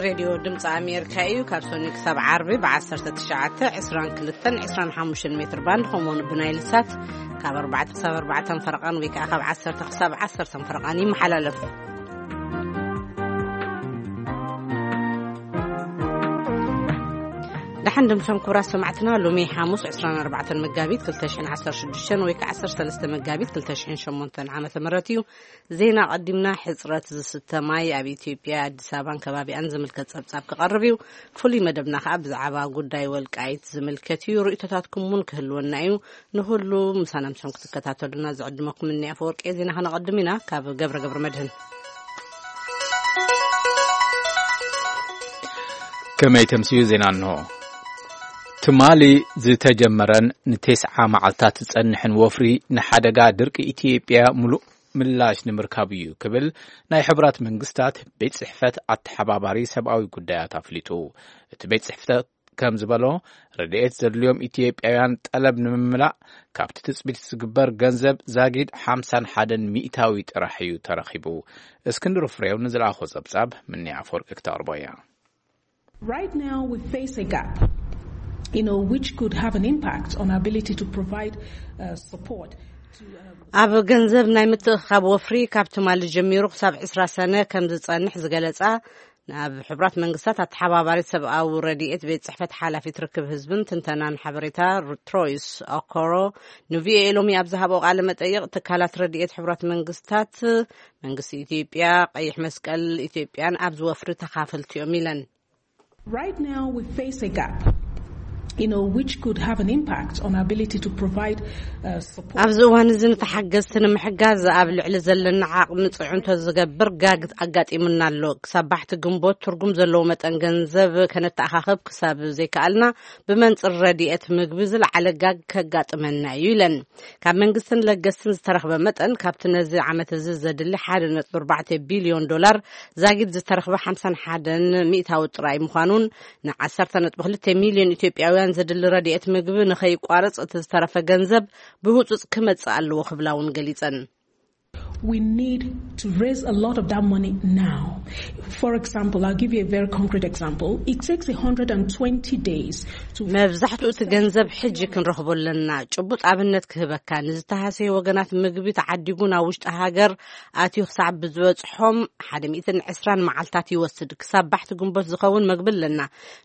ሬድዮ ድምፂ ኣሜሪካ እዩ። ካብ ሰኑይ ክሳብ ዓርቢ ብ19፣ 22፣ 25 ሜትር ባንድ፣ ከምኡውን ብናይል ሳት ካብ ኣርባዕተ ክሳብ ኣርባዕተ ፈረቓን ወይ ከዓ ካብ ዓሰርተ ክሳብ ዓሰርተ ፈረቓን ይመሓላለፍ። ደሓን ድምሶም ክቡራት ሰማዕትና፣ ሎሚ ሓሙስ 24 መጋቢት 2016 ወይ ከዓ 13 መጋቢት 2008 ዓመተ ምህረት እዩ። ዜና ቀዲምና። ሕጽረት ዝስተ ማይ ኣብ ኢትዮጵያ፣ ኣዲስ ኣበባን ከባቢኣን ዝምልከት ጸብጻብ ክቐርብ እዩ። ፍሉይ መደብና ከኣ ብዛዕባ ጉዳይ ወልቃይት ዝምልከት እዩ። ርእይቶታትኩም እውን ክህልወና እዩ። ንኹሉ ምሳና ምሶም ክትከታተሉና ዝዕድመኩም እኒ ኣፈወርቂ። ዜና ከነቐድም ኢና ካብ ገብረ ገብረ መድህን። ከመይ ተምስዩ ዜና እንሆ። ትማሊ ዝተጀመረን ንቴስዓ መዓልታት ዝጸንሕን ወፍሪ ንሓደጋ ድርቂ ኢትዮጵያ ምሉእ ምላሽ ንምርካብ እዩ ክብል ናይ ሕቡራት መንግስታት ቤት ጽሕፈት ኣተሓባባሪ ሰብኣዊ ጉዳያት ኣፍሊጡ። እቲ ቤት ጽሕፈት ከም ዝበሎ፣ ረድኤት ዘድልዮም ኢትዮጵያውያን ጠለብ ንምምላእ ካብቲ ትጽቢት ዝግበር ገንዘብ ዛጊድ ሓምሳን ሓደን ሚእታዊ ጥራሕ እዩ ተረኺቡ። እስክንድር ፍሬው ንዝለኣኾ ጸብጻብ ምንያ ኣፈወርቂ ክተቕርቦ እያ። Right now, we face a gap, you know, which could have an impact on our ability to provide uh, support. To, uh, ኣብ ገንዘብ ናይ ምትእኻብ ወፍሪ ካብ ትማሊ ጀሚሩ ክሳብ 20 ሰነ ከም ዝጸንሕ ዝገለጻ፣ ናብ ሕቡራት መንግስታት ኣተሓባባሪት ሰብኣዊ ረድኤት ቤት ጽሕፈት ሓላፊት ርክብ ህዝብን ትንተናን ሓበሬታ፣ ትሮይስ ኦኮሮ፣ ንቪኦኤ ሎሚ ኣብ ዝሃቦ ቃለ መጠይቕ፣ ትካላት ረድኤት ሕቡራት መንግስታት፣ መንግስቲ ኢትዮጵያ፣ ቀይሕ መስቀል ኢትዮጵያን ኣብዚ ወፍሪ ተኻፈልቲ እዮም ኢለን። Right now, we face a gap, you know, which could have an impact on our ability to provide uh, support. ኣብዚ እዋን እዚ ንተሓገዝቲ ንምሕጋዝ ኣብ ልዕሊ ዘለና ዓቕሚ ጽዕንቶ ዝገብር ጋግ ኣጋጢሙና ኣሎ። ክሳብ ባሕቲ ግንቦት ትርጉም ዘለዎ መጠን ገንዘብ ከነተኣኻኸብ ክሳብ ዘይከኣልና፣ ብመንጽር ረድኤት ምግቢ ዝለዓለ ጋግ ከጋጥመና እዩ ኢለን። ካብ መንግስትን ለገስትን ዝተረኽበ መጠን፣ ካብቲ ነዚ ዓመት እዚ ዘድሊ ሓደ ነጥቢ ኣርባዕተ ቢልዮን ዶላር ዛጊድ ዝተረኽበ ሓምሳን ሓደን ሚእታዊ ጥራይ ምዃኑን፣ ን10 ነጥቢ ክልተ ሚልዮን ኢትዮጵያውያን ዘድሊ ረድኤት ምግቢ ንኸይቋረጽ፣ እቲ ዝተረፈ ገንዘብ ብህጹጽ ክመጽእ ኣለዎ ክብላ እውን ገሊጸን። We need to raise a lot of that money now. For example, I'll give you a very concrete example. It takes one hundred twenty days to መብዛሕትኡ እቲ ገንዘብ ሕጂ ክንረኽቦ ኣለና። ጭቡጥ ኣብነት ክህበካ፣ ንዝተሃሰየ ወገናት ምግቢ ተዓዲጉ ናብ ውሽጢ ሃገር ኣትዩ ክሳብ ብዝበጽሖም ሓደ ሚእትን ዕስራን መዓልታት ይወስድ። ክሳብ ባሕቲ ግንቦት ዝኸውን መግቢ ኣለና።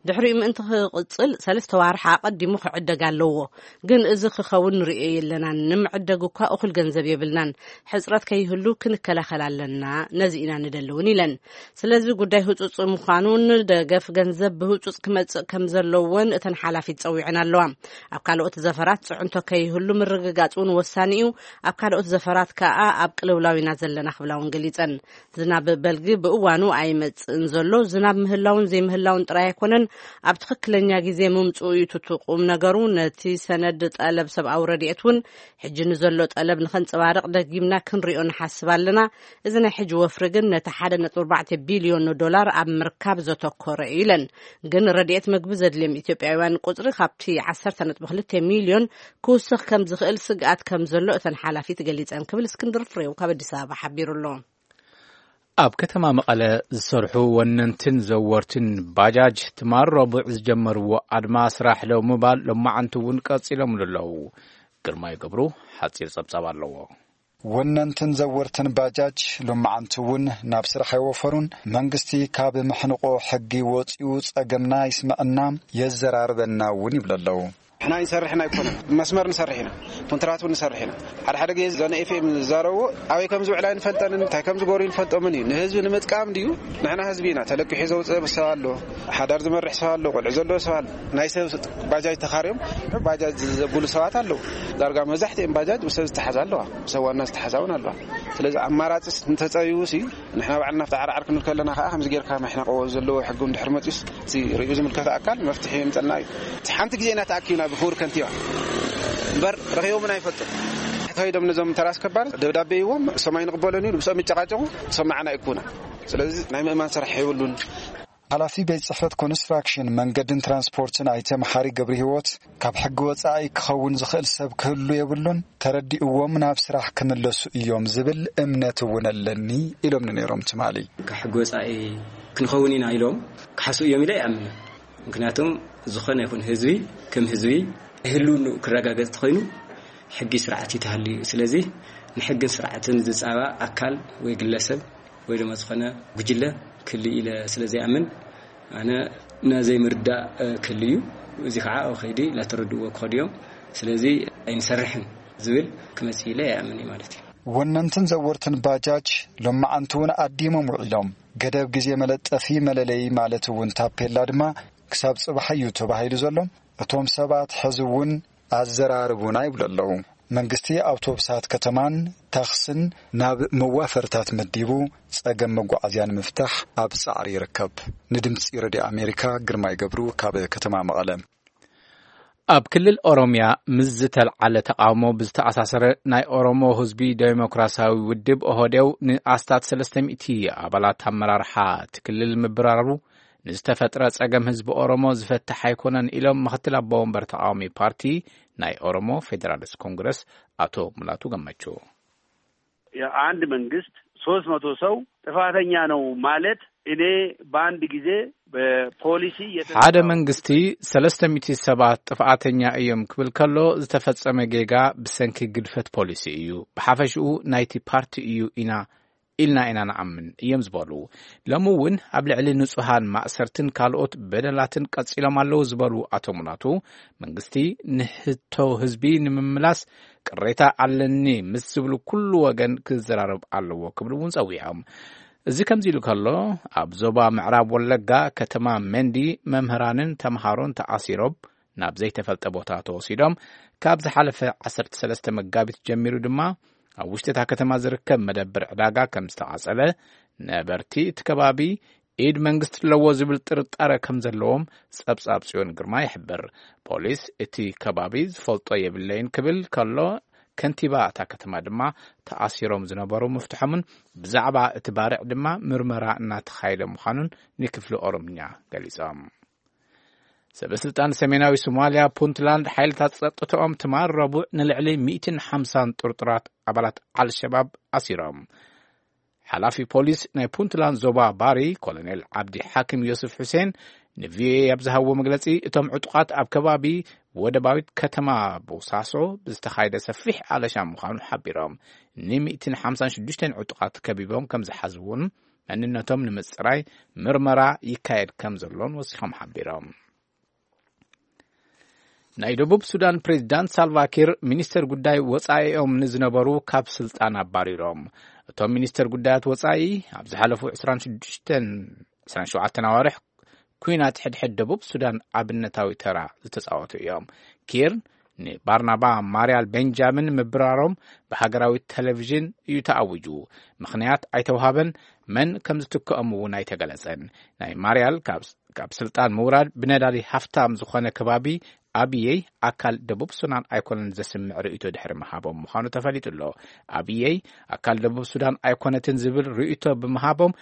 ድሕሪኡ ምእንቲ ክቕጽል ሰለስተ ዋርሕ ኣቐዲሙ ክዕደግ ኣለዎ። ግን እዚ ክኸውን ንርእዮ የለናን። ንምዕደግ እኳ እኹል ገንዘብ የብልናን። ሕጽረት ከይህሉ ክንከላኸል ኣለና። ነዚ ኢና ንደሊ እውን ኢለን። ስለዚ ጉዳይ ህጹጽ ምዃኑን ደገፍ ገንዘብ ብህጹጽ ክመጽእ ከም ዘለዎን እተን ሓላፊት ጸዊዐን ኣለዋ። ኣብ ካልኦት ዘፈራት ጽዕንቶ ከይህሉ ምርግጋጽ እውን ወሳኒ እዩ። ኣብ ካልኦት ዘፈራት ከኣ ኣብ ቅልውላው ኢና ዘለና ክብላ እውን ገሊጸን። ዝናብ በልጊ ብእዋኑ ኣይመጽእን ዘሎ። ዝናብ ምህላውን ዘይምህላውን ጥራይ ኣይኮነን፣ ኣብ ትኽክለኛ ግዜ ምምጽኡ እዩ እቲ ቁም ነገሩ። ነቲ ሰነድ ጠለብ ሰብኣዊ ረድኤት እውን ሕጂ ንዘሎ ጠለብ ንኸንጸባርቕ ደጊምና ክንሪኦ ንሓስብ ኣለና። እዚ ናይ ሕጂ ወፍሪ ግን ነቲ ሓደ ነጥቢ ኣርባዕተ ቢልዮን ዶላር ኣብ ምርካብ ዘተኮረ እዩ ኢለን። ግን ረድኤት ምግቢ ዘድልዮም ኢትዮጵያውያን ቁጽሪ ካብቲ ዓሰርተ ነጥቢ ክልተ ሚልዮን ክውስኽ ከም ዝኽእል ስግኣት ከም ዘሎ እተን ሓላፊት ገሊጸን ክብል እስክንድር ፍሬው ካብ ኣዲስ ኣበባ ሓቢሩ ኣሎ። ኣብ ከተማ መቐለ ዝሰርሑ ወነንትን ዘወርትን ባጃጅ ትማል ረቡዕ ዝጀመርዎ ኣድማ ስራሕ ደው ምባል ሎማዓንቲ እውን ቀጺሎምሉ ኣለዉ። ግርማይ ገብሩ ሓጺር ጸብጻብ ኣለዎ። ወነንትን ዘወርትን ባጃጅ ሎማዓንቲ እውን ናብ ስራሕ ኣይወፈሩን። መንግስቲ ካብ መሕንቆ ሕጊ ወጺኡ ጸገምና ይስምዐና የዘራርበና እውን ይብሉ ኣለዉ። ንሕና ኣይንሰርሕን ኣይኮነን፣ መስመር ንሰርሕ ኢና፣ ኮንትራት እውን ንሰርሕ ኢና። ሓደ ሓደ ግዜ እዛ ናይ ኤፍኤም ዝዛረብዎ ኣበይ ከም ዝውዕል ኣይንፈልጠንን፣ እንታይ ከም ዝገብሩ ኣይንፈልጦምን እዩ። ንህዝቢ ንምጥቃም ድዩ? ንሕና ህዝቢ ኢና። ተለቂሑ ዘውፅእ ሰብ ኣሎ፣ ሓዳር ዝመርሕ ሰብ ኣሎ፣ ቆልዑ ዘለዎ ሰብ ኣሎ። ናይ ሰብ ባጃጅ ተኻርዮም ባጃጅ ዘብሉ ሰባት ኣለዉ። ዳርጋ መብዛሕትኦም ባጃጅ ብሰብ ዝተሓዛ ኣለዋ፣ ብሰብ ዋና ዝተሓዛ እውን ኣለዋ። ስለዚ ኣማራፂ እንተፀቢቡ ሲ ንሕና ባዕልና ኣብቲ ዓርዓር ክንብል ከለና ከዓ ከምዚ ጌርካ መሕነቆ ዘለዎ ሕጊ እንድሕር መፂኡስ እቲ ርእዩ ዝምልከቶ ኣካል መፍትሒ የምፀልና እዩ። እቲ ሓንቲ ግዜ ኢና ተኣኪብና ብክቡር ከንቲባ እምበር ረኺቦምን ኣይፈልጡን። ከይዶም ነዞም ተራ ኣስከባሪ ደብዳቤ ይዎም እሶም ኣይንቕበሎን እዩ፣ ምስኦም ይጨቃጨቁ፣ እሶም ንዓና ይኩና። ስለዚ ናይ ምእማን ስራሕ የብሉን። ሓላፊ ቤት ጽሕፈት ኮንስትራክሽን መንገድን ትራንስፖርትን ኣይተ መሓሪ ገብረ ህይወት ካብ ሕጊ ወጻኢ ክኸውን ዝኽእል ሰብ ክህሉ የብሉን፣ ተረዲእዎም ናብ ስራሕ ክምለሱ እዮም ዝብል እምነት እውን ኣለኒ ኢሎም ነይሮም ትማሊ። ካብ ሕጊ ወጻኢ ክንኸውን ኢና ኢሎም ክሓስቡ እዮም ኢለ ይኣምን። ምክንያቱም ዝኾነ ይኹን ህዝቢ ከም ህዝቢ ህልውንኡ ክረጋገጽ ተኾይኑ ሕጊ ስርዓት ይተሃልዩ። ስለዚ ንሕግን ስርዓትን ዝጻባ ኣካል ወይ ግለሰብ ወይ ድማ ዝኾነ ጉጅለ ክህሉ ኢለ ስለ ዘይኣምን ኣነ ናዘይ ምርዳእ ክህሉ እዩ። እዚ ከዓ ኣብ ከይዲ ላተረድእዎ ክኸዱ እዮም። ስለዚ ኣይንሰርሕን ዝብል ክመጽእ ኢለ ይኣምን እዩ ማለት እዩ። ወነንትን ዘወርትን ባጃጅ ሎማዓንቲ እውን ኣዲሞም ውዒሎም፣ ገደብ ግዜ መለጠፊ መለለዪ ማለት እውን ታፔላ ድማ ክሳብ ጽባሕ እዩ ተባሂሉ ዘሎ። እቶም ሰባት ሕዚ እውን ኣዘራርቡና ይብሉ ኣለዉ። መንግስቲ ኣውቶቡሳት ከተማን ታክስን ናብ መዋፈርታት መዲቡ ጸገም መጓዓዝያ ንምፍታሕ ኣብ ጻዕሪ ይርከብ። ንድምጺ ረድዮ ኣሜሪካ ግርማይ ገብሩ ካብ ከተማ መቐለ። ኣብ ክልል ኦሮምያ ምስ ዝተልዓለ ተቓውሞ ብዝተኣሳሰረ ናይ ኦሮሞ ህዝቢ ዴሞክራሲያዊ ውድብ ኦህዴው ንኣስታት ሰለስተ ሚእቲ ኣባላት ኣመራርሓ እቲ ክልል ምብራሩ ንዝተፈጥረ ጸገም ህዝቢ ኦሮሞ ዝፈትሕ ኣይኮነን ኢሎም ምክትል ኣቦ ወንበር ተቓዋሚ ፓርቲ ናይ ኦሮሞ ፌዴራሊስት ኮንግረስ ኣቶ ሙላቱ ገመቹ። የአንድ መንግስት ሶስት መቶ ሰው ጥፋተኛ ነው ማለት እኔ በአንድ ጊዜ በፖሊሲ የተነሳ ሓደ መንግስቲ ሰለስተ ሚእቲ ሰባት ጥፍኣተኛ እዮም ክብል ከሎ ዝተፈጸመ ጌጋ ብሰንኪ ግድፈት ፖሊሲ እዩ፣ ብሓፈሽኡ ናይቲ ፓርቲ እዩ ኢና ኢልና ኢና ንኣምን እዮም ዝበሉ። ሎሚ እውን ኣብ ልዕሊ ንጹሃን ማእሰርትን ካልኦት በደላትን ቀጺሎም ኣለዉ ዝበሉ ኣቶ ሙላቱ፣ መንግስቲ ንሕቶ ህዝቢ ንምምላስ ቅሬታ ኣለኒ ምስ ዝብሉ ኩሉ ወገን ክዘራረብ ኣለዎ ክብሉ እውን ጸዊዖም። እዚ ከምዚ ኢሉ ከሎ፣ ኣብ ዞባ ምዕራብ ወለጋ ከተማ መንዲ መምህራንን ተምሃሮን ተኣሲሮም ናብ ዘይተፈልጠ ቦታ ተወሲዶም። ካብ ዝሓለፈ ዓሰርተ ሰለስተ መጋቢት ጀሚሩ ድማ ኣብ ውሽጢ እታ ከተማ ዝርከብ መደብር ዕዳጋ ከም ዝተቓጸለ፣ ነበርቲ እቲ ከባቢ ኢድ መንግስቲ ኣለዎ ዝብል ጥርጣረ ከም ዘለዎም ጸብጻብ ጽዮን ግርማ ይሕብር። ፖሊስ እቲ ከባቢ ዝፈልጦ የብለይን ክብል ከሎ፣ ከንቲባ እታ ከተማ ድማ ተኣሲሮም ዝነበሩ ምፍትሖምን ብዛዕባ እቲ ባርዕ ድማ ምርመራ እናተኻየደ ምዃኑን ንክፍሊ ኦሮምኛ ገሊጾም። ሰበ ስልጣን ሰሜናዊ ሶማልያ ፑንትላንድ ሓይልታት ጸጥታኦም ትማል ረቡዕ ንልዕሊ ሚእትን ሓምሳን ጥርጡራት ኣባላት ኣልሸባብ ኣሲሮም። ሓላፊ ፖሊስ ናይ ፑንትላንድ ዞባ ባሪ ኮሎኔል ዓብዲ ሓኪም ዮስፍ ሑሴን ንቪኦኤ ኣብ ዝሃብዎ መግለጺ፣ እቶም ዕጡቓት ኣብ ከባቢ ወደባዊት ከተማ ቦሳሶ ብዝተኻየደ ሰፊሕ ኣለሻ ምዃኑ ሓቢሮም። ን ሚእትን ሓምሳን ሽዱሽተን ዕጡቓት ከቢቦም ከም ዝሓዝውን መንነቶም ንምጽራይ ምርመራ ይካየድ ከም ዘሎን ወሲኾም ሓቢሮም። ናይ ደቡብ ሱዳን ፕሬዚዳንት ሳልቫኪር ሚኒስተር ጉዳይ ወጻኢኦም ንዝነበሩ ካብ ስልጣን ኣባሪሮም። እቶም ሚኒስተር ጉዳያት ወጻኢ ኣብ ዝሓለፉ ዕስራን ሽዱሽተን ዕስራን ሸውዓተን ኣዋርሕ ኩናት ሕድሕድ ደቡብ ሱዳን ኣብነታዊ ተራ ዝተጻወቱ እዮም። ኪር ንባርናባ ማርያል ቤንጃሚን ምብራሮም ብሃገራዊ ቴሌቪዥን እዩ ተኣዊጁ። ምኽንያት ኣይተውሃበን፣ መን ከም ዝትክኦም እውን ኣይተገለጸን። ናይ ማርያል ካብ፣ ካብ ስልጣን ምውራድ ብነዳዲ ሃፍታም ዝኾነ ከባቢ ኣብየይ ኣካል ደቡብ ሱዳን ኣይኮነን ዘስምዕ ርእይቶ ድሕሪ ምሃቦም ምዃኑ ተፈሊጡ ኣሎ። ኣብየይ ኣካል ደቡብ ሱዳን ኣይኮነትን ዝብል ርእይቶ ብምሃቦም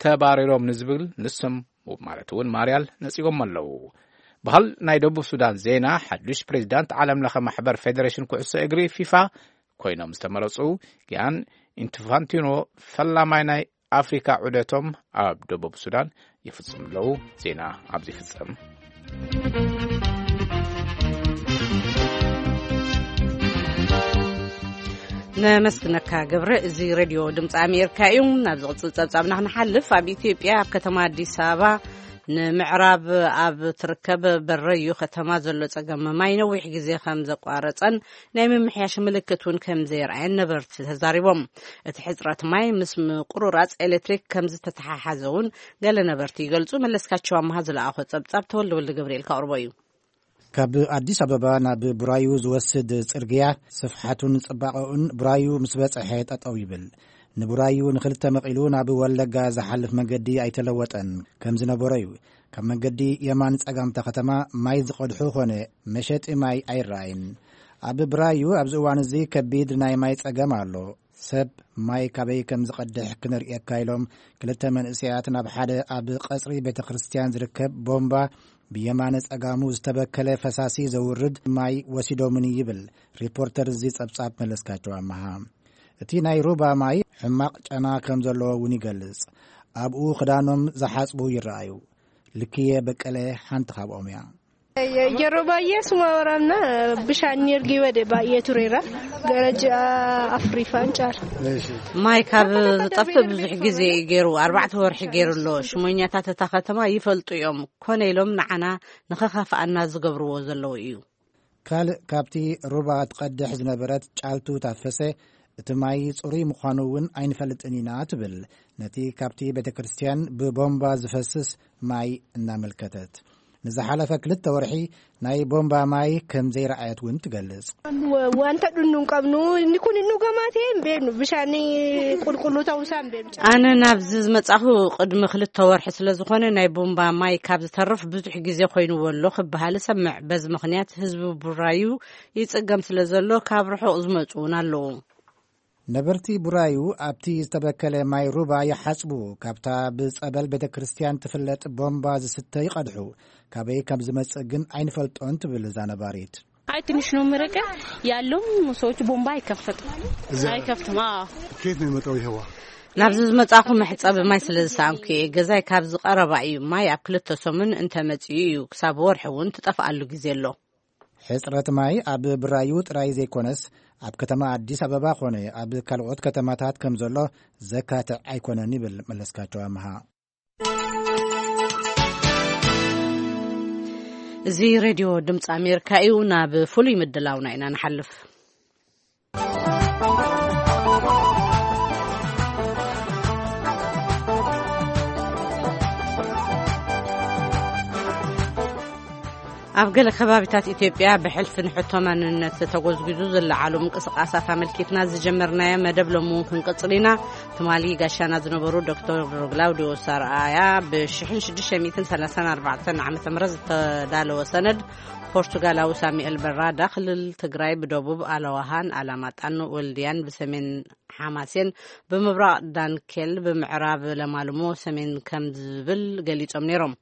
ተባሪሮም ንዝብል ንሶም ማለት እውን ማርያል ነጺጎም ኣለዉ። ባህል ናይ ደቡብ ሱዳን ዜና፣ ሓዱሽ ፕሬዚዳንት ዓለም ለኸ ማሕበር ፌዴሬሽን ኩዕሶ እግሪ ፊፋ ኮይኖም ዝተመረጹ ጊያን ኢንፋንቲኖ ፈላማይ ናይ ኣፍሪካ ዑደቶም ኣብ ደቡብ ሱዳን ይፍጽሙ ኣለዉ። ዜና ኣብዚ ይፍጸም። ነመስግነካ ገብረ። እዚ ሬድዮ ድምፂ ኣሜሪካ እዩ። ናብ ዝቕፅል ፀብፃብና ክንሓልፍ፣ ኣብ ኢትዮጵያ ኣብ ከተማ ኣዲስ ኣበባ ንምዕራብ ኣብ ትርከብ በረዩ ከተማ ዘሎ ፀገም ማይ ነዊሕ ግዜ ከም ዘቋረፀን ናይ ምምሕያሽ ምልክት እውን ከም ዘየርኣየን ነበርቲ ተዛሪቦም። እቲ ሕፅረት ማይ ምስ ምቁርራፅ ኤሌክትሪክ ከም ዝተተሓሓዘ እውን ገለ ነበርቲ ይገልፁ። መለስካቸው ኣምሃ ዝለኣኾ ፀብፃብ ተወልደ ወልደ ገብርኤል ከቕርቦ እዩ። ካብ ኣዲስ ኣበባ ናብ ቡራዩ ዝወስድ ጽርግያ ስፍሓቱን ጽባቐኡን ቡራዩ ምስ በጽሐ ጠጠው ይብል። ንቡራዩ ንኽልተ መቒሉ ናብ ወለጋ ዝሓልፍ መንገዲ ኣይተለወጠን፣ ከም ዝነበሮ እዩ። ካብ መንገዲ የማን ጸጋምታ ከተማ ማይ ዝቐድሑ ኾነ መሸጢ ማይ ኣይረኣይን። ኣብ ብራዩ ኣብዚ እዋን እዚ ከቢድ ናይ ማይ ጸገም ኣሎ። ሰብ ማይ ካበይ ከም ዝቐድሕ ክንርእየካ ኢሎም ክልተ መንእሰያት ናብ ሓደ ኣብ ቀጽሪ ቤተ ክርስቲያን ዝርከብ ቦምባ ብየማነ ጸጋሙ ዝተበከለ ፈሳሲ ዘውርድ ማይ ወሲዶምኒ ይብል ሪፖርተር እዚ ጸብጻብ መለስካቸው ኣመሃ። እቲ ናይ ሩባ ማይ ሕማቕ ጨና ከም ዘለዎ እውን ይገልጽ። ኣብኡ ክዳኖም ዝሓጽቡ ይረኣዩ። ልክየ በቀለ ሓንቲ ካብኦም እያ። Yeroo baay'ee suma waraabna bishaan ni ergii wade baay'ee tureera. Gara ji'a afuriifaan caala. ማይ ካብ ዝጠፍእ ብዙሕ ግዜ እዩ ገይሩ፣ ኣርባዕተ ወርሒ ገይሩ ኣሎ። ሽሞኛታት እታ ከተማ ይፈልጡ እዮም፣ ኮነ ኢሎም ንዓና ንኸኻፍኣና ዝገብርዎ ዘለዉ እዩ። ካልእ ካብቲ ሩባ ትቐድሕ ዝነበረት ጫልቱ ታፈሰ፣ እቲ ማይ ጽሩይ ምዃኑ እውን ኣይንፈልጥን ኢና ትብል። ነቲ ካብቲ ቤተ ክርስቲያን ብቦምባ ዝፈስስ ማይ እናመልከተት፣ ንዝሓለፈ ክልተ ወርሒ ናይ ቦምባ ማይ ከም ዘይረኣየት እውን ትገልጽ። Wanta dhunnu hin qabnu, inni kun hin dhugamaa ta'e hin beeknu, bishaan qulqulluu ta'uu isaa hin beeknu. ኣነ ናብዚ ዝመጻኹ ቅድሚ ክልተ ወርሒ ስለ ዝኾነ፣ ናይ ቦምባ ማይ ካብ ዝተርፍ ብዙሕ ግዜ ኮይንዎ ኣሎ ክበሃል እሰምዕ። በዚ ምኽንያት ህዝቢ ቡራዩ ይጽገም ስለ ዘሎ፣ ካብ ርሑቕ ዝመጹ እውን ኣለዉ። ነበርቲ ቡራዩ ኣብቲ ዝተበከለ ማይ ሩባ ይሓጽቡ። ካብታ ብጸበል ቤተ ክርስቲያን ትፍለጥ ቦምባ ዝስተ ይቐድሑ። ካበይ ከም ዝመጽእ ግን ኣይንፈልጦን ትብል እዛ ነባሪት። አይ ትንሽ ነው የሚርቀው፣ ያለውም ሰዎች ቦምባ አይከፈትም። እዚያ አይከፍትም። አዎ። ከየት ነው የመጣው ይሄ ውሃ? ናብዚ ዝመጻኹ መሕጸቢ ማይ ስለ ዝሰኣንኩ እየ። ገዛይ ካብዚ ቀረባ እዩ። ማይ ኣብ ክልተ ሰሙን እንተመጺኡ እዩ፣ ክሳብ ወርሒ እውን ትጠፍኣሉ ግዜ ኣሎ። ሕጽረት ማይ ኣብ ብራዩ ጥራይ ዘይኮነስ፣ ኣብ ከተማ ኣዲስ ኣበባ ኾነ ኣብ ካልኦት ከተማታት ከም ዘሎ ዘካትዕ ኣይኮነን ይብል መለስካቸው ኣምሃ። እዚ ሬድዮ ድምፂ ኣሜሪካ እዩ። ናብ ፍሉይ ምድላውና ኢና ንሓልፍ። ኣብ ገለ ከባቢታት ኢትዮጵያ ብሕልፊ ንሕቶ ማንነት ተጎዝጒዙ ዝለዓሉ ምንቅስቓሳት ኣመልኪትና ዝጀመርናዮ መደብ ሎሚ እውን ክንቅጽል ኢና። ትማሊ ጋሻና ዝነበሩ ዶክተር ግላውዲዮስ ኣርኣያ ብ ሽሕን ሽዱሽተ ሚእትን ሰላሳን ኣርባዕተን ዓመተ ምህረት ዝተዳለወ ሰነድ ፖርቱጋላዊ ሳሙኤል በራዳ ክልል ትግራይ ብደቡብ ኣለዋሃን ኣላማጣን ወልድያን ብሰሜን ሓማሴን ብምብራቕ ዳንኬል ብምዕራብ ለማልሞ ሰሜን ከም ዝብል ገሊጾም ነይሮም።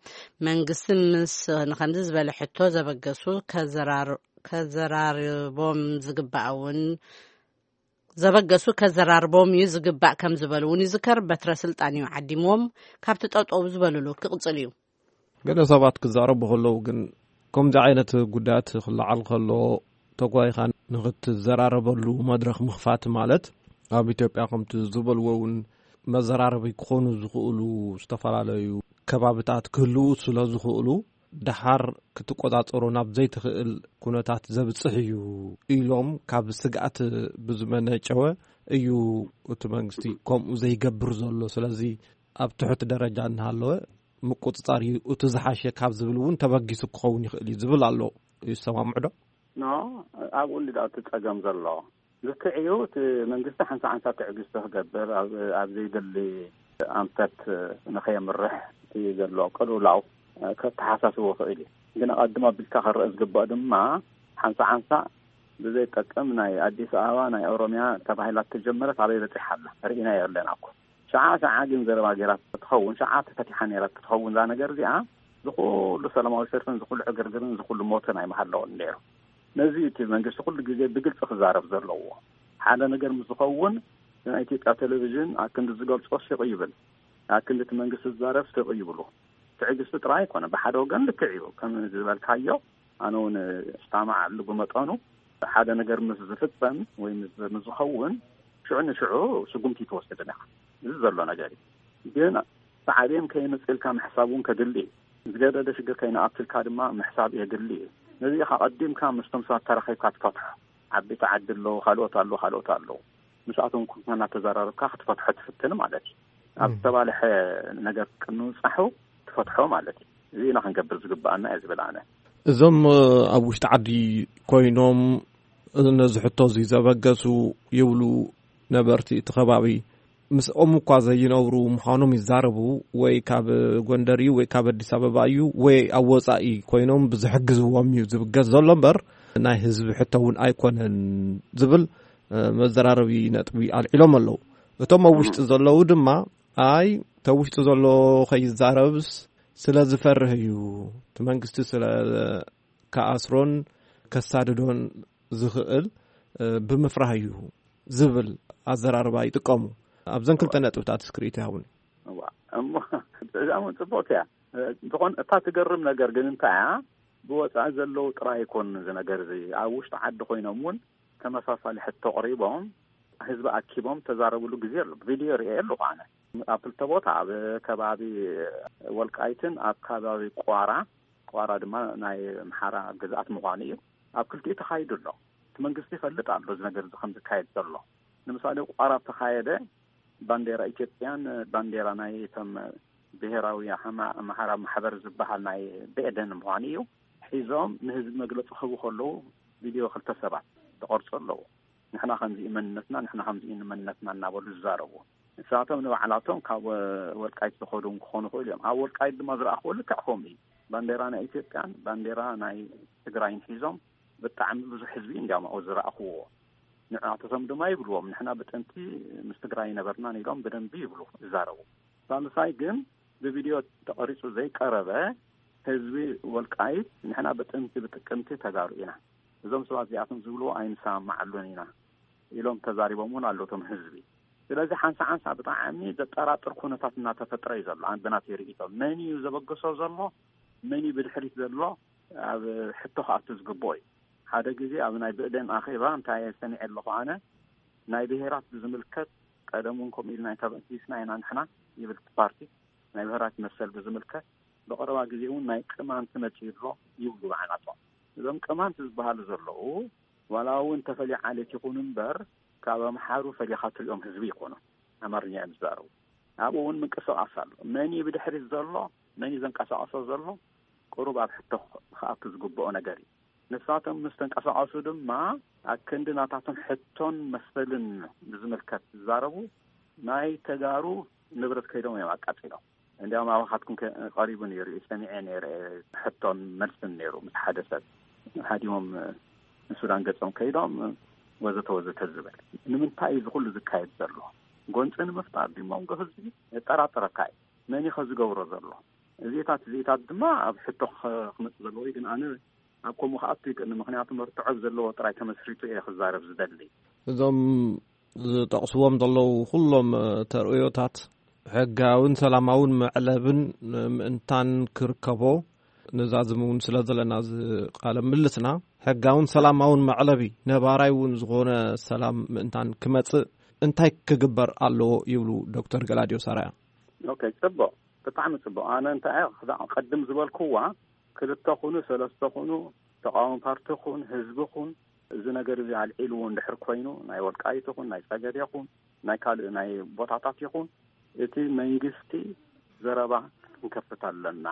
መንግስቲ ምስ ንኸምዚ ዝበለ ሕቶ ዘበገሱ ከዘራር-፣ ከዘራርቦም ዝግባእ እውን ዘበገሱ ከዘራርቦም እዩ ዝግባእ ከም ዝበሉ እውን ይዝከር። በትረ ስልጣን እዩ ዓዲምዎም ካብቲ ጠጠው ዝበሉሉ ክቕጽል እዩ። ገለ ሰባት ክዛረቡ ከለዉ ግን ከምዚ ዓይነት ጉዳያት ክለዓል ከሎ ተጓይኻ ንኽትዘራረበሉ መድረኽ ምኽፋት ማለት ኣብ ኢትዮጵያ ከምቲ ዝበልዎ እውን መዘራረቢ ክኾኑ ዝኽእሉ ዝተፈላለዩ ከባብታት ክህልዉ ስለ ዝኽእሉ ደሓር ክትቆጻጸሮ ናብ ዘይትኽእል ኩነታት ዘብጽሕ እዩ ኢሎም ካብ ስግኣት ብዝመነጨወ እዩ እቲ መንግስቲ ከምኡ ዘይገብር ዘሎ። ስለዚ ኣብ ትሑት ደረጃ እናሃለወ ምቁጽጻር እዩ እቲ ዝሓሸ ካብ ዝብል እውን ተበጊሱ ክኸውን ይኽእል እዩ ዝብል ኣሎ። ይሰማምዑ ዶ? ኖ፣ ኣብኡ እንዲ እቲ ጸገም ዘሎ ልክዕ እዩ። እቲ መንግስቲ ሓንሳ ሓንሳ ትዕግስቲ ክገብር ኣብ፣ ኣብ ዘይደሊ ኣንፈት ንኸየምርሕ እቲ ዘሎ ቅልውላው ከተሓሳስቦ ክእል እዩ። ግን ኣቐድሞ ኣቢልካ ክረአ ዝግባእ ድማ ሓንሳ ሓንሳ ብዘይጠቅም ናይ ኣዲስ ኣበባ ናይ ኦሮሚያ ተባሂላ ተጀመረት ኣበይ በፂሓ ኣላ ርኢና የለን ኣኮ። ሸዓ ሸዓ ግን ዘረባ ገይራ ትኸውን፣ ሸዓ ተፈቲሓ ነይራ ትኸውን እዛ ነገር እዚኣ ዝኹሉ ሰላማዊ ሰልፍን ዝኹሉ ዕግርግርን ዝኹሉ ሞትን ኣይምሃለውን ነይሩ። ነዚ እቲ መንግስቲ ኩሉ ግዜ ብግልፂ ክዛረብ ዘለዎ። ሓደ ነገር ምስ ዝኸውን ናይ ኢትዮጵያ ቴሌቪዥን ኣክንዲ ዝገልጾ ስቕ ይብል፣ ኣክንዲ እቲ መንግስቲ ዝዛረብ ስቕ ይብሉ። ትዕግስቲ ጥራይ ኣይኮነ፣ ብሓደ ወገን ልክዕ እዩ ከም ዝበልካዮ፣ ኣነ እውን እስማማዓሉ ብመጠኑ። ሓደ ነገር ምስ ዝፍጸም ወይ ምስ፣ ምስ ዝኸውን ሽዑ ንሽዑ ስጉምቲ ትወስድን ኢኻ። እዚ ዘሎ ነገር እዩ። ግን ሳዕቤን ከይመጽእልካ ምሕሳብ እውን ከድሊ እዩ። ዝገደደ ሽግር ከይንኣትልካ ድማ ምሕሳብ የድሊ እዩ። ነዚ ኢኻ ቀዲምካ ምስቶም ሰባት ተራኺብካ ትፈትሖ። ዓበይቲ ዓዲ ኣለዉ፣ ካልኦት ኣለዉ፣ ካልኦት ኣለዉ። ምስኣቶም ኮንካ እናተዘራረብካ ክትፈትሖ ትፍትን ማለት እዩ። ኣብ እም። ዝተባልሐ ነገር ቅንውጻሑ ትፈትሖ ማለት እዩ። እዚ ኢና ክንገብር ዝግብኣና እየ ዝብል ኣነ። እዞም ኣብ ውሽጢ ዓዲ ኮይኖም ነዚ ሕቶ እዚ ዘበገሱ ይብሉ ነበርቲ እቲ ከባቢ ምስኦም እኳ ዘይነብሩ ምዃኖም ይዛረቡ። ወይ ካብ ጎንደር እዩ ወይ ካብ ኣዲስ ኣበባ እዩ ወይ ኣብ ወጻኢ ኮይኖም ብዝሕግዝዎም እዩ ዝብገስ ዘሎ እምበር ናይ ህዝቢ ሕቶ እውን ኣይኮነን ዝብል መዘራረቢ ነጥቢ ኣልዒሎም ኣለዉ። እቶም ኣብ ውሽጢ ዘለዉ ድማ ኣይ ተብ ውሽጢ ዘሎ ከይዛረብስ ስለ ዝፈርህ እዩ፣ እቲ መንግስቲ ስለ ከኣስሮን ከሳድዶን ዝኽእል ብምፍራህ እዩ ዝብል ኣዘራርባ ይጥቀሙ። ኣብዘን ክልተ ነጥብታት እስክሪት ይሃቡኒ። እዋ፣ እሞ እዛ እውን ጽቡቕቲ እያ። እንተኾን እታ ትገርም ነገር ግን እንታይ እያ? ብወጻኢ ዘለዉ ጥራይ ኣይኮኑን እዚ ነገር እዚ። ኣብ ውሽጢ ዓዲ ኮይኖም እውን ተመሳሳሊ ሕቶ ኣቕሪቦም፣ ህዝቢ ኣኪቦም ተዛረብሉ ግዜ ኣሎ። ቪድዮ ርእየ ኣለኹ ኣነ። ኣብ ክልተ ቦታ፣ ኣብ ከባቢ ወልቃይትን ኣብ ከባቢ ቋራ፣ ቋራ ድማ ናይ ኣምሓራ ግዝኣት ምዃኑ እዩ። ኣብ ክልቲኡ ተኻይዱ ኣሎ። እቲ መንግስቲ ይፈልጥ ኣሎ እዚ ነገር እዚ ከም ዝካየድ ዘሎ። ንምሳሌ፣ ቋራ ተኻየደ፣ ባንዴራ ኢትዮጵያን ባንዴራ ናይ እቶም ብሄራዊ ኣማ-፣ ኣምሓራ ማሕበር ዝበሃል ናይ ብኤደን ምዃኑ እዩ። ሒዞም ንህዝቢ መግለፂ ክህቡ ከለዉ፣ ቪድዮ ክልተ ሰባት ተቐርፁ ኣለዉ። "ንሕና ከምዚ እዩ መንነትና፣ ንሕና ከምዚ እዩ መንነትና" እናበሉ ዝዛረቡ። ንሳቶም ንባዕላቶም ካብ ወልቃይት ዝኸዱ እውን ክኾኑ ይኽእሉ እዮም። ኣብ ወልቃይት ድማ ዝረኣኽዎ ልክዕ ከምኡ እዩ። ባንዴራ ናይ ኢትዮጵያን ባንዴራ ናይ ትግራይን ሒዞም፣ ብጣዕሚ ብዙሕ ህዝቢ እንዲያውም ኣብኡ ዝረኣኽዎ። ንዕኣቶቶም ድማ ይብልዎም፣ "ንሕና ብጥንቲ ምስ ትግራይ ይነበርናን" ኢሎም ብደንቢ ይብሉ፣ ይዛረቡ። ሳልሳይ ግን ብቪድዮ ተቐሪጹ ዘይቀረበ፣ ህዝቢ ወልቃይት "ንሕና ብጥንቲ ብጥቅምቲ ተጋሩ ኢና፣ እዞም ሰባት እዚኣቶም ዝብልዎ ኣይንሰማማዓሉን ኢና" ኢሎም ተዛሪቦም እውን ኣለዉ እቶም ህዝቢ። ስለዚ ሓንሳ ሓንሳ ብጣዕሚ ዘጠራጥር ኩነታት እናተፈጥረ እዩ ዘሎ። ኣን-፣ ብናተይ ርእይቶ፣ መን እዩ ዘበገሶ ዘሎ፣ መን እዩ ብድሕሪት ዘሎ፣ ኣብ ሕቶ ክኣቱ ዝግብኦ እዩ። ሓደ ግዜ ኣብ ናይ ብእደን ኣኼባ እንታይ ሰሚዐ ኣለኹ ኣነ፣ ናይ ብሄራት ብዝምልከት፣ ቀደም እውን ከምኡ ኢልና ተበጊስና ኢና ንሕና ይብል እቲ ፓርቲ፣ ናይ ብሄራት መሰል ብዝምልከት፣ ብቐረባ ግዜ እውን ናይ ቅማንት መጺኡ ኣሎ ይብሉ ባዕላቶም። እዞም ቅማንት ዝበሃሉ ዘለዉ፣ ዋላ እውን ተፈልዩ ዓሌት ይኹኑ እምበር፣ ካብ ኣምሓሩ ፈሊኻ ትሪኦም ህዝቢ ይኾኑ፣ ኣማርኛ እዮም ዝዛረቡ። ኣብኡ እውን ምንቅስቓስ ኣሎ። መን እዩ ብድሕሪት ዘሎ፣ መን እዩ ዘንቀሳቐሶ ዘሎ፣ ቁሩብ ኣብ ሕቶ ክኣቱ ዝግብኦ ነገር እዩ። ንሳቶም ምስ ተንቀሳቐሱ ድማ፣ ኣብ ክንዲ ናታቶም ሕቶን መሰልን ብዝምልከት ዝዛረቡ፣ ናይ ተጋሩ ንብረት ከይዶም እዮም ኣቃጺሎም። እንዲያውም ኣባኻትኩም ከ-፣ ቀሪቡ ነይሩ እዩ፣ ሰሚዐ ነይረ፣ ሕቶን መልስን ነይሩ። ምስ ሓደ ሰብ ሃዲሞም ንሱዳን ገጾም ከይዶም፣ ወዘተ ወዘተ ዝብል። ንምንታይ እዩ እዚ ኩሉ ዝካየድ ዘሎ? ጎንፂ ንምፍጣር ድዩ? መንጎ ህዝቢ የጠራጥረካ እዩ። መን እዩ ከ ዝገብሮ ዘሎ? እዚታት፣ እዚታት ድማ ኣብ ሕቶ ኸ-፣ ክመጽእ ዘለዎ እዩ። ግን ኣነ ኣብ ከምኡ ክኣቱ ይክእል፣ ምክንያቱ መርትዖ ዘለዎ ጥራይ ተመስሪቱ እየ ክዛረብ ዝደሊ። እዞም ዝጠቕስዎም ዘለዉ ኩሎም፣ እ፣ ተርእዮታት ሕጋውን ሰላማውን መዕለብን፣ እ፣ ምእንታን ክርከቦ ንዛዝም እውን ስለ ዘለና፣ እዚ ቃለ ምልልስና ሕጋውን ሰላማውን መዕለቢ፣ ነባራይ እውን ዝኾነ ሰላም ምእንታን ክመጽእ እንታይ ክግበር ኣለዎ ይብሉ ዶክተር ገላዲዮስ ኣርኣያ? ኦኬ፣ ጽቡቕ፣ ብጣዕሚ ጽቡቕ። ኣነ እንታይ እየ ክዳ-፣ ቅድም ዝበልክዋ፣ ክልተ ኩኑ፣ ሰለስተ ኩኑ፣ ተቃዋሚ ፓርቲ ኩን፣ ህዝቢ ኩን፣ እዚ ነገር እዚ ኣልዒልዎ እንድሕር ኮይኑ፣ ናይ ወልቃይት ይኹን፣ ናይ ጸገዴ ይኹን፣ ናይ ካልእ ናይ ቦታታት ይኹን፣ እቲ መንግስቲ ዘረባ ክንከፍት ኣለና።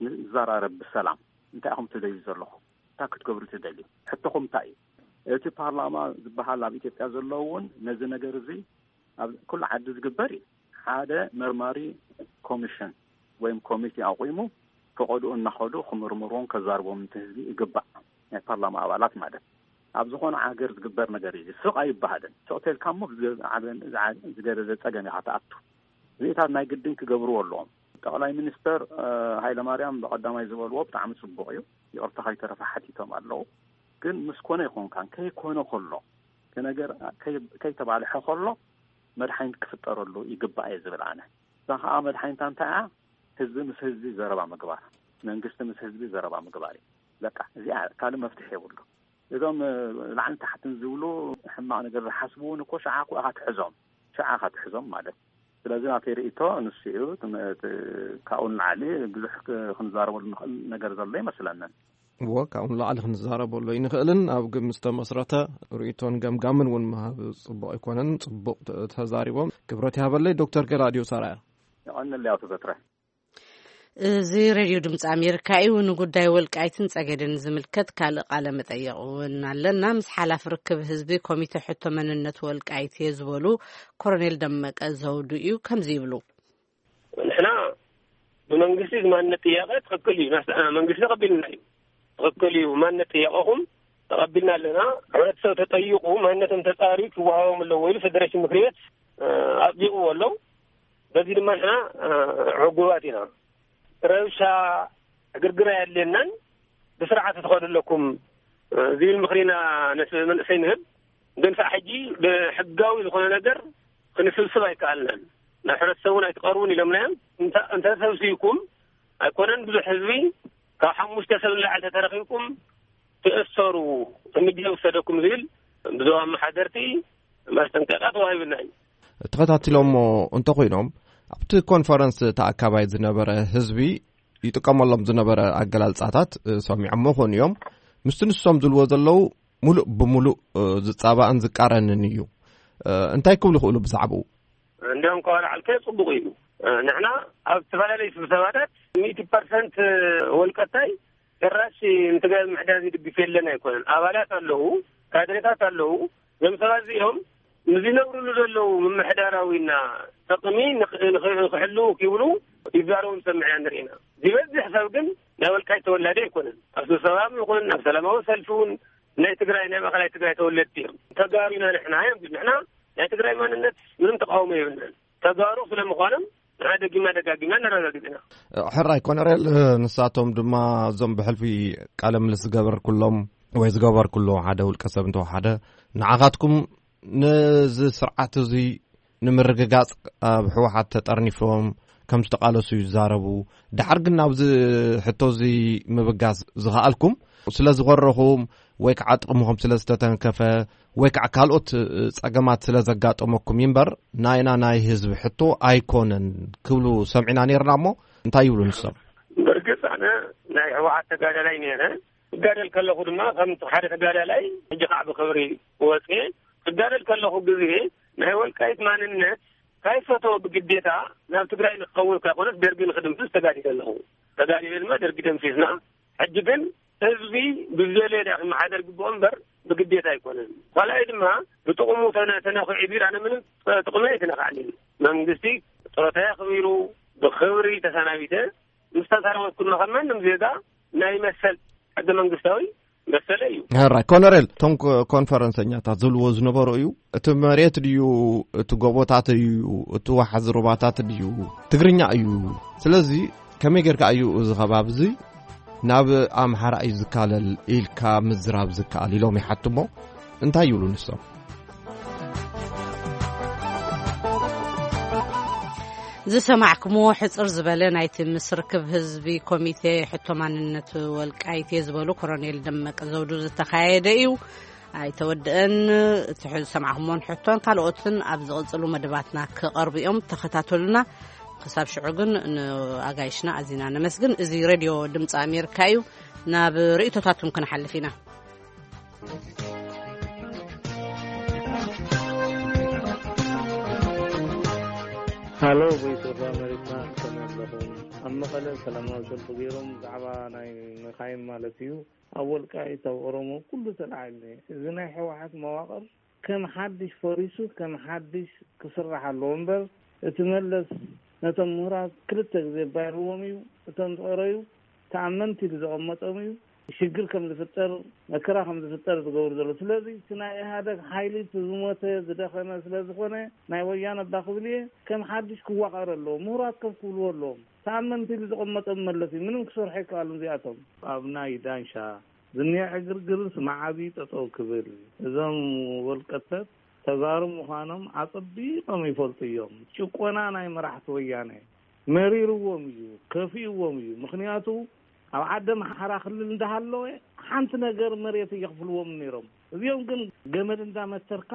ንዘራረብ ብሰላም። እንታይ ኢኹም ትደልዩ ዘለኹም? እንታይ ክትገብሩ ትደልዩ? ሕቶኹም እንታይ እዩ? እቲ ፓርላማ ዝበሃል ኣብ ኢትዮጵያ ዘሎ እውን ነዚ ነገር እዚ ኣብ ኩሉ ዓዲ ዝግበር እዩ። ሓደ መርማሪ ኮሚሽን ወይም ኮሚቴ ኣቑሙ፣ ፈቐድኡ እናኸዱ ክምርምርዎን ከዛርቦም እቲ ህዝቢ ይግባእ። ናይ ፓርላማ ኣባላት ማለት። ኣብ ዝኾነ ሃገር ዝግበር ነገር እዩ። ስቕ ኣይበሃልን። ስቕ ተልካ እሞ ብዝ-፣ ዓበን-፣ ዝዓ-፣ ዝገደደ ጸገም ኢኻ ትኣቱ። እዚታት ናይ ግድን ክገብርዎ ኣለዎም። ጠቕላይ ሚኒስተር፣ እ፣ ሃይለማርያም ብቐዳማይ ዝበልዎ ብጣዕሚ ጽቡቕ እዩ። ይቕርታ ከይተረፈ ሓቲቶም ኣለዉ። ግን ምስ ኮነ ኣይኮንካን፣ ከይኮነ ከሎ፣ እቲ ነገር ከይ-፣ ከይተባልሐ ከሎ መድሓኒት ክፍጠረሉ ይግባእ እየ ዝብል ኣነ። እዛ ኸኣ መድሓኒታ እንታይ እያ? ህዝቢ ምስ ህዝቢ ዘረባ ምግባር፣ መንግስቲ ምስ ህዝቢ ዘረባ ምግባር እዩ። በቃ፣ እዚኣ ካልእ መፍትሒ የብሉ። እዞም፣ እ፣ ላዕልን ታሕትን ዝብሉ ሕማቕ ነገር ዝሓስቡ እውን እኮ ሽዓ እኮ ኢኻ ትሕዞም፣ ሽዓ ኢኻ ትሕዞም ማለት። ስለዚ ናተይ ርእይቶ ንሱ እዩ። ትም-፣ እቲ፣ ካብኡ ንላዕሊ ብዙሕ ክ-፣ ክንዛረበሉ ንኽእል ነገር ዘሎ ይመስለንን። እዎ፣ ካብኡ ንላዕሊ ክንዛረበሉ ኣይንኽእልን። ኣብ ግምት ዝተመስረተ ርእይቶን ገምጋምን እውን ምሃብ ጽቡቕ ኣይኮነን። ጽቡቕ ተ-፣ ተዛሪቦም። ክብረት ይሃበለይ ዶክተር ገላዲዮስ ኣርኣያ። የቐንለይ ኣቶ በትረ። እዚ ሬድዮ ድምፂ ኣሜሪካ እዩ። ንጉዳይ ወልቃይትን ጸገዴን ዝምልከት ካልእ ቃለ መጠየቕ እውን ኣለና። ምስ ሓላፊ ርክብ ህዝቢ ኮሚቴ ሕቶ መንነት ወልቃይት እየ ዝበሉ ኮሎኔል ደመቀ ዘውዱ እዩ። ከምዚ ይብሉ። ንሕና ብመንግስቲ እዚ ማንነት ጥያቄ ትኽክል እዩ፣ ናስ-፣ መንግስቲ ተቐቢልና እዩ። ትኽክል እዩ፣ ማንነት ጥያቄኹም ተቐቢልና ኣለና። ሕብረተሰብ ተጠይቑ፣ ማንነቶም ተጻርዩ ክወሃቦም ኣለዎ ኢሉ ፌደሬሽን ምክሪ ቤት፣ እ፣ ኣጽዲቑዎ ኣሎ። በዚ ድማ ንሕና፣ እ፣ ዕጉባት ኢና። ረብሻ፣ ዕግርግር ኣየድልየናን፣ ብስርዓት ትኸዱ ኣለኩም፣ እ፣ ዝብል ምኽሪ ኢና ነቲ መንእሰይ ንህብ። ግን ሳዕ ሕጂ ብሕጋዊ ዝኾነ ነገር ክንስብስብ ኣይከኣልናን። ናብ ሕብረተሰብ እውን ኣይትቐርቡን ኢሎምና እዮም። እንተ- እንተሰብሲብኩም ኣይኮነን ብዙሕ ህዝቢ፣ ካብ ሓሙሽተ ሰብ ንላዕሊ ተተረኺብኩም ትእሰሩ፣ እርምጃ ይውሰደኩም ዝብል ብዞባ ኣመሓደርቲ ማስጠንቀቂያ ተዋሂብና እዩ። ተኸታቲሎሞ እንተኾይኖም፣ ኣብቲ ኮንፈረንስ ተኣካባይ ዝነበረ ህዝቢ ይጥቀመሎም ዝነበረ ኣገላልጻታት፣ እ፣ ሰሚዖሞ ይኾኑ እዮም። ምስቲ ንሶም ዝብልዎ ዘለዉ ሙሉእ ብሙሉእ፣ እ፣ ዝጻባእን ዝቃረንን እዩ። እ፣ እንታይ ክብሉ ይኽእሉ ብዛዕባኡ? እንዲያውም ከዋላ ዓልከ ጽቡቕ እዩ። እ፣ ንሕና ኣብ ዝተፈላለዩ ስብሰባታት ሚእቲ ፐርሰንት ወልቀታይ ጭራሽ ንትግራይ ምሕዳር ዝድግፍ የለን ኣይኮነን። ኣባላት ኣለዉ፣ ካድሬታት ኣለዉ። እዞም ሰባት እዚኦም ንዝነብርሉ ዘለዉ ምምሕዳራዊና ጥቕሚ ንኽ- ንኽ- ንኽሕልዉ ክብሉ ይዛረቡ ንሰምዕ ኢና ንርኢ ኢና። ዝበዝሕ ሰብ ግን ናይ ወልቃይት ተወላዲ ኣይኮነን። ኣብ ስብሰባም ይኹን ኣብ ሰላማዊ ሰልፊ እውን ናይ ትግራይ፣ ናይ ማእኸላይ ትግራይ ተወለድቲ እዮም። ተጋሩ ኢና ንሕና እዮም። ንሕና ናይ ትግራይ ማንነት ምንም ተቃውሞ የብልናን። ተጋሩ ስለምዃኖም ንዓ ደጊምና ደጋጊምና ነረጋግጽ ኢና። ሕራይ ኮነሬል፣ ንሳቶም ድማ እዞም ብሕልፊ ቃለ ምልስ ዝገበርኩሎም ወይ ዝገበርኩሎ ሓደ ውልቀ ሰብ እንተወሓደ፣ ንዓኻትኩም ነዚ ስርዓት እዚ ንምርግጋጽ ኣብ ህወሓት ተጠርኒፎም ከም ዝተቓለሱ ይዛረቡ። ደሓር ግን ናብዚ ሕቶ እዚ ምብጋስ ዝኸኣልኩም ስለ ዝኾረኹም ወይ ከዓ ጥቕምኹም ስለ ዝተተንከፈ ወይ ከዓ ካልኦት፣ እ፣ ጸገማት ስለ ዘጋጠመኩም እምበር ናይና ናይ ህዝቢ ሕቶ ኣይኮነን ክብሉ ሰሚዕና ነይርና። እሞ እንታይ ይብሉ ንሶም? ብርግጽ ኣነ ናይ ህወሓት ተጋዳላይ ነይረ። እጋደል ከለኹ ድማ ከም ሓደ ተጋዳላይ ሕጂ ከዓ ብኽብሪ ወፅየ። እጋደል ከለኹ ግዜ ናይ ወልቃይት ማንነት ካይፈተወ ብግዴታ ናብ ትግራይ ንክኸውን ካይኮነስ ደርጊ ንክድምስስ ተጋዲለ ኣለኹ። ተጋዲለ ድማ ደርጊ ደምሲስና። ሕጂ ግን ህዝቢ ብዝደለየ ዳ ክመሓደር ግብኦ እምበር ብግዴታ ኣይኮነን። ካልኣይ ድማ ብጥቕሙ ተነ- ተነኺዑ ቢር ኣነ ምንም ጥቕሚ ኣይተነካዕንን። መንግስቲ ጥሮታ ኣኽቢሩ ብኽብሪ ተሰናቢተ ምስ ተሰናበትኩ ድማ ከም ማንም ዜጋ ናይ መሰል ሕገ መንግስታዊ መሰለ እዩ። ሕራይ ኮነሬል፣ እቶም ኮ- ኮንፈረንሰኛታት ዝብልዎ ዝነበሩ እዩ፣ እቲ መሬት ድዩ፣ እቲ ጎቦታት እዩ፣ እቲ ዋሕዚ ሩባታት ድዩ፣ ትግርኛ እዩ። ስለዚ ከመይ ጌርካ እዩ እዚ ከባቢ እዚ ናብ ኣምሓራ እዩ ዝካለል ኢልካ ምዝራብ ዝከኣል ኢሎም ይሓትሞ። እንታይ ይብሉ ንሶም? ዝሰማዕኩምዎ ሕጽር ዝበለ ናይቲ ምስ ርክብ ህዝቢ ኮሚቴ ሕቶ ማንነት ወልቃይት እየ ዝበሉ ኮሎኔል ደመቀ ዘውዱ ዝተኻየደ እዩ። ኣይተወድአን። እቲ ዝሰማዕኩምዎን ሕቶን ካልኦትን ኣብ ዝቕጽሉ መደባትና ክቐርቡ እዮም። ተኸታተሉና። ክሳብ ሽዑ ግን ንኣጋይሽና ኣዚና ነመስግን። እዚ ሬድዮ ድምፂ ኣሜሪካ እዩ። ናብ ርእይቶታትኩም ክንሓልፍ ኢና። ሃሎ፣ ቮይስ ኦፍ ኣሜሪካ፣ ከመይ ኣለኹም? ኣብ መቐለ ሰላማዊ ሰልፊ ገይሮም ብዛዕባ ናይ መኻይን ማለት እዩ፣ ኣብ ወልቃይት፣ ኣብ ኦሮሞ ኩሉ ተላዒሉ። እዚ ናይ ህወሓት መዋቕር ከም ሓድሽ ፈሪሱ ከም ሓድሽ ክስራሕ ኣለዎ እምበር፣ እቲ መለስ ነቶም ምሁራት ክልተ ግዜ ባይርዎም እዩ። እቶም ዝቐረዩ ተኣመንቲ ኢሉ ዘቐመጦም እዩ። ሽግር ከም ዝፍጠር፣ መከራ ከም ዝፍጠር ዝገብሩ ዘሎ። ስለዚ እቲ ናይ ኢህኣደግ ሓይሊ እቲ ዝሞተ ዝደኸመ ስለ ዝኾነ ናይ ወያነ ኣባ ክብል እየ ከም ሓድሽ ክዋቐር ኣለዎ። ምሁራት ከም ክብልዎ ኣለዎም። ተኣመንቲ ኢሉ ዘቐመጦም መለስ እዩ። ምንም ክሰርሑ ኣይከኣሉን እዚኣቶም። ኣብ ናይ ዳንሻ ዝኒአ ዕግርግርስ መዓዝ እዩ ጠጠው ክብል? እዞም ወልቀተት ተጋሩ ምዃኖም ኣጸቢቖም ይፈልጡ እዮም። ጭቆና ናይ መራሕቲ ወያነ መሪርዎም እዩ፣ ከፊእዎም እዩ። ምኽንያቱ ኣብ ዓዲ ኣምሓራ ክልል እንዳሃለወ ሓንቲ ነገር መሬት እየኽፍልዎም ነይሮም። እዚኦም ግን ገመድ እንዳመተርካ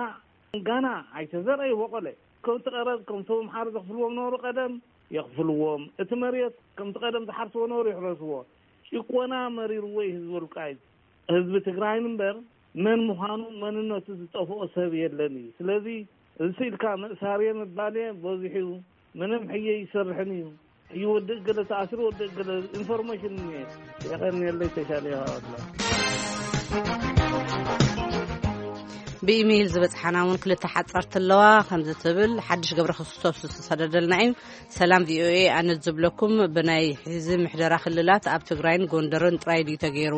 ጋና ኣይተዘርአ ይቦቆለ። ከምቲ ቀረብ ከምቶም ኣምሓሩ ዘኽፍልዎም ነበሩ ቀደም የኽፍልዎም። እቲ መሬት ከምቲ ቀደም ዝሓርስዎ ነበሩ ይሕረስዎ። ጭቆና መሪርዎ እዩ ህዝቢ ወልቃይት። ህዝቢ ትግራይን እምበር መን ምዃኑ መንነቱ ዝጠፍኦ ሰብ የለን እዩ። ስለዚ እዚ ኢልካ መእሳርየ ምባልየ በዚሑ እዩ። ምንም ሕየ ይሰርሕን እዩ። እዩ ወዲ ገለ ተኣስሩ ወዲ ገለ ኢንፎርሜሽን እየ የቐንየለይ ተሻለ ይሃዋትላ። ብኢሜይል ዝበጽሓና እውን ክልተ ሓጻርቲ ኣለዋ። ከምዚ ትብል ሓድሽ ገብረ ክርስቶስ ዝተሰደደልና እዩ። ሰላም ቪኦኤ፣ ኣነ ዝብለኩም ብናይ ሕዚ ምሕደራ ክልላት ኣብ ትግራይን ጎንደርን ጥራይ ድዩ ተገይሩ?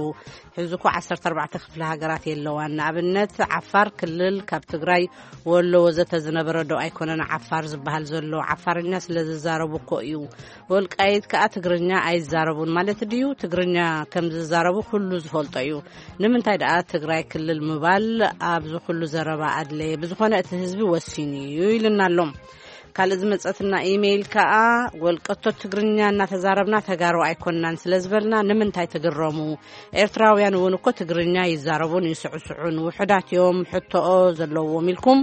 ሕዚ እኮ ዓሰርተ ኣርባዕተ ክፍለ ሃገራት የለዋን። ንኣብነት ዓፋር ክልል ካብ ትግራይ፣ ወሎ ወዘተ ዝነበረ ዶ ኣይኮነን ዓፋር ዝበሃል ዘሎ? ዓፋርኛ ስለ ዝዛረቡ እኮ እዩ። ወልቃይት ከኣ ትግርኛ ኣይዛረቡን ማለት ድዩ? ትግርኛ ከም ዝዛረቡ ኩሉ ዝፈልጦ እዩ። ንምንታይ ደኣ ትግራይ ክልል ምባል ኣብዚ ኩሉ ዘረባ ኣድለየ? ብዝኾነ እቲ ህዝቢ ወሲኑ እዩ ኢልና ኣሎ። ካልእ ዝመጸትና ኢሜይል ከኣ፣ ወልቀቶ ትግርኛ እናተዛረብና ተጋሩ ኣይኮንናን ስለ ዝበልና ንምንታይ ትግረሙ? ኤርትራውያን እውን እኮ ትግርኛ ይዛረቡን ይስዕስዑን፣ ውሑዳት እዮም ሕቶኦ ዘለዎም ኢልኩም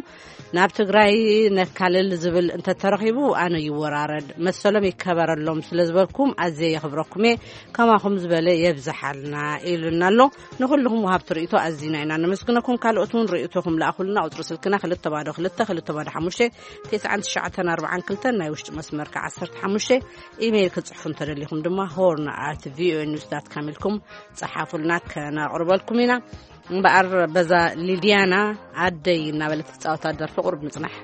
ናብ ትግራይ ነካልል ዝብል እንተተረኺቡ ኣነ ይወራረድ፣ መሰሎም ይከበረሎም ስለ ዝበልኩም ኣዝየ የኽብረኩም እየ። ከማኹም ዝበለ የብዝሓልና ኢሉና ኣሎ። ንኹልኹም ወሃብቲ ርእይቶ ኣዚና ኢና ነመስግነኩም። ካልኦት እውን ርእይቶኹም ለኣኹልና። ቁጽሪ ስልክና ክልተ ባዶ ክልተ ክልተ ባዶ ሓሙሽተ፣ ትሽዓን ትሽዓተን ኣርባዓን ክልተን፣ ናይ ውሽጢ መስመር ከኣ ዓሰርተ ሓሙሽተ። ኢሜይል ክትጽሕፉ እንተደሊኹም ድማ ሆርን ኣት ቪኦኤ ኒውስ ዳት ካም ኢልኩም ጸሓፉልና፣ ከነቕርበልኩም ኢና። እምበኣር በዛ ሊድያና ኣደይ እናበለት ትጻወታ ደርፊ ቁሩብ ንጽናሕ።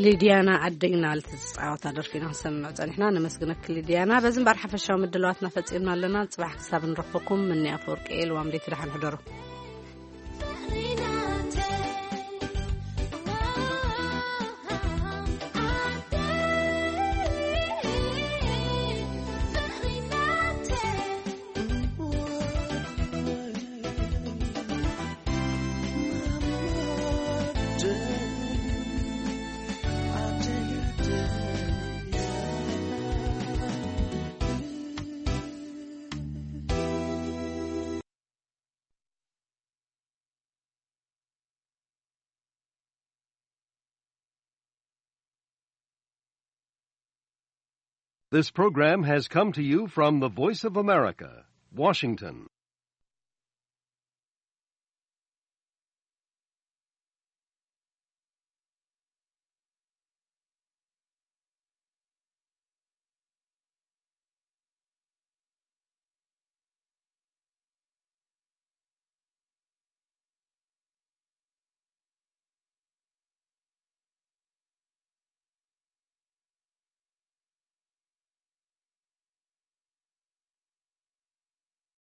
ሊድያና ኣደይና ልትዝፃወታ ደርፊና ክንሰምዕ ፀኒሕና። ነመስግነክ ሊድያና። በዚ እምበር ሓፈሻዊ ምድላዋትና ፈፂምና ኣለና። ፅባሕ ክሳብ ንረኽበኩም ምኒ ኣፈወርቂ እየ። ልዋም ደይቲ ደሓን ሕደሩ። This program has come to you from the Voice of America, Washington.